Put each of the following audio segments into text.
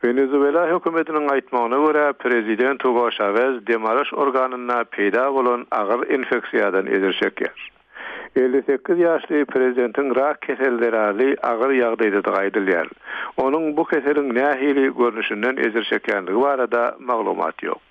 Wenezuela hökümetiniň aýtmagyna görä, prezident Hugo Şawez dem alyş organynda peýda bolan agyr infeksiýadan ejir çekýär. 58 ýaşly prezidentiň rak keseli zerarly agyr ýagdaýdadygy aýdylýar. Onuň bu keseliň nähili görnüşinden ejir çekýändigi barada maglumat ýok.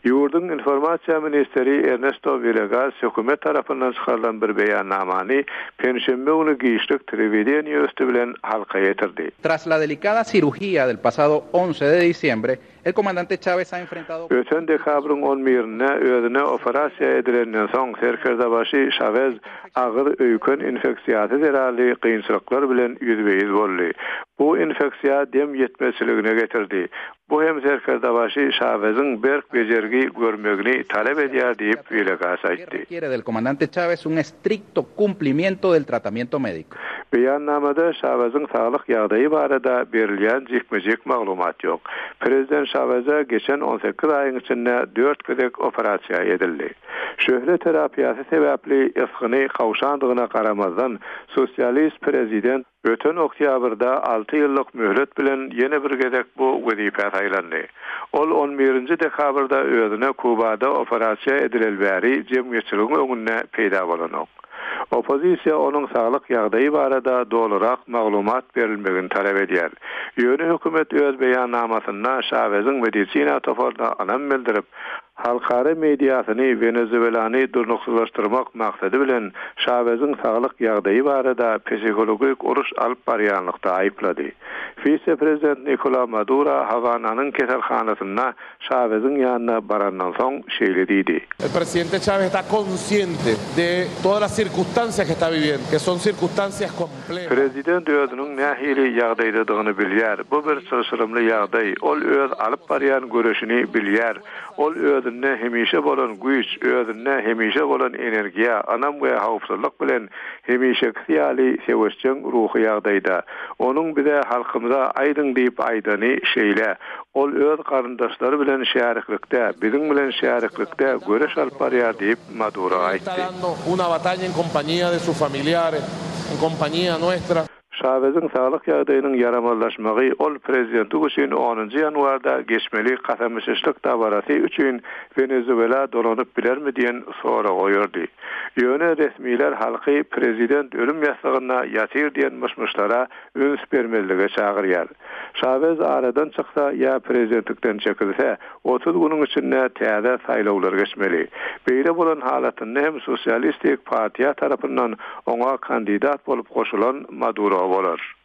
Ýurduň informasiýa ministri Ernesto Wilegas hökümet tarapyndan çykarylan bir beýannamany penşenbe güni giçlik telewideniýe üsti bilen halka ýetirdi. Tras la delicada cirugía del pasado once de diciembre, el comandante Chávez ha enfrentado. Öten dekabryň on birinde özüne operasiýa edilenden soň serkerdebaşy Şawez agyr öýken infeksiýasy zerarly kynçylyklar bilen ýüzbe-ýüz boldy. Bu infeksiýa dem ýetmezçiligine getirdi. Bu hem serkerdebaşy Şaweziň berk bejergi görmegini talap edýär diýip, Wilegas aýtdy. Beýannamada Şaweziň saglyk ýagdaýy barada berilýän jikme-jik maglumat ýok. Prezident Şaweze geçen 18 aýyň içinde dört gezek operasiýa edildi. Şöhle terapiýasy sebäpli ysgyny gawşandygyna garamazdan, sosialist prezident Öten oktýabrda alty ýyllyk möhlet bilen ýene bir gezek bu wezipä saýlandy. Ol on birinji dekabrda özüne Kubada operasiýa edileli bäri jemgyýetçiligiň öňünde peýda bolanok. Oppozisiýa onuň saglyk ýagdaýy barada dolurak maglumat berilmegini talap edýär. Ýöne hökümet öz beýannamasynda Şaweziň medisina toparyna ynam bildirip, Halkara mediasyny Wenezuelany durnuksyzlaşdyrmak maksady bilen Şaweziň saglyk ýagdaýy barada psihologik uruş alyp barýanlykda aýyplady. Wise-prezident Nikola Maduro Hawananyň keselhanasynda Şaweziň ýanyna barandan soň şeýle diýdi. El presidente Chávez está consciente de todas las circunstancias que está viviendo, que son circunstancias complejas. Prezident özüniň nähili ýagdaýdadygyny bilýär. Bu bir çylşyrymly ýagdaý. Ol öz alyp barýan göreşini bilýär. Ol özünde hemişe bolan güýç, özünde hemişe bolan energiýa, ynam we howpsuzlyk bilen hemişekisi ýaly söweşjeň ruhy ýagdaýda. Onuň bize, halkymyza aýdyň diýip aýdany şeýle. Ol öz garyndaşlary bilen şäriklikde, biziň bilen şäriklikde göreş alyp barýar diýip, Maduro aýtdy. Şaweziň saglyk ýagdaýynyň ýaramazlaşmagy ol prezidentlik üçin onunjy ýanwarda geçmeli kasam içişlik dabarasy üçin Wenezuela dolanyp bilermi diýen soragy oýardy. Ýöne resmiler halky prezident ölüm ýassygynda ýatyr diýen myş-myşlara üns bermezlige çagyrýar. Şawez aradan çyksa ýa prezidentlikden çekilse, 30 günüň içinde täze saýlawlar geçmeli. Beýle bolan halatynda hem Sosialistik partiýa tarapyndan oňa kandidat bolup goşulan Maduro bolar.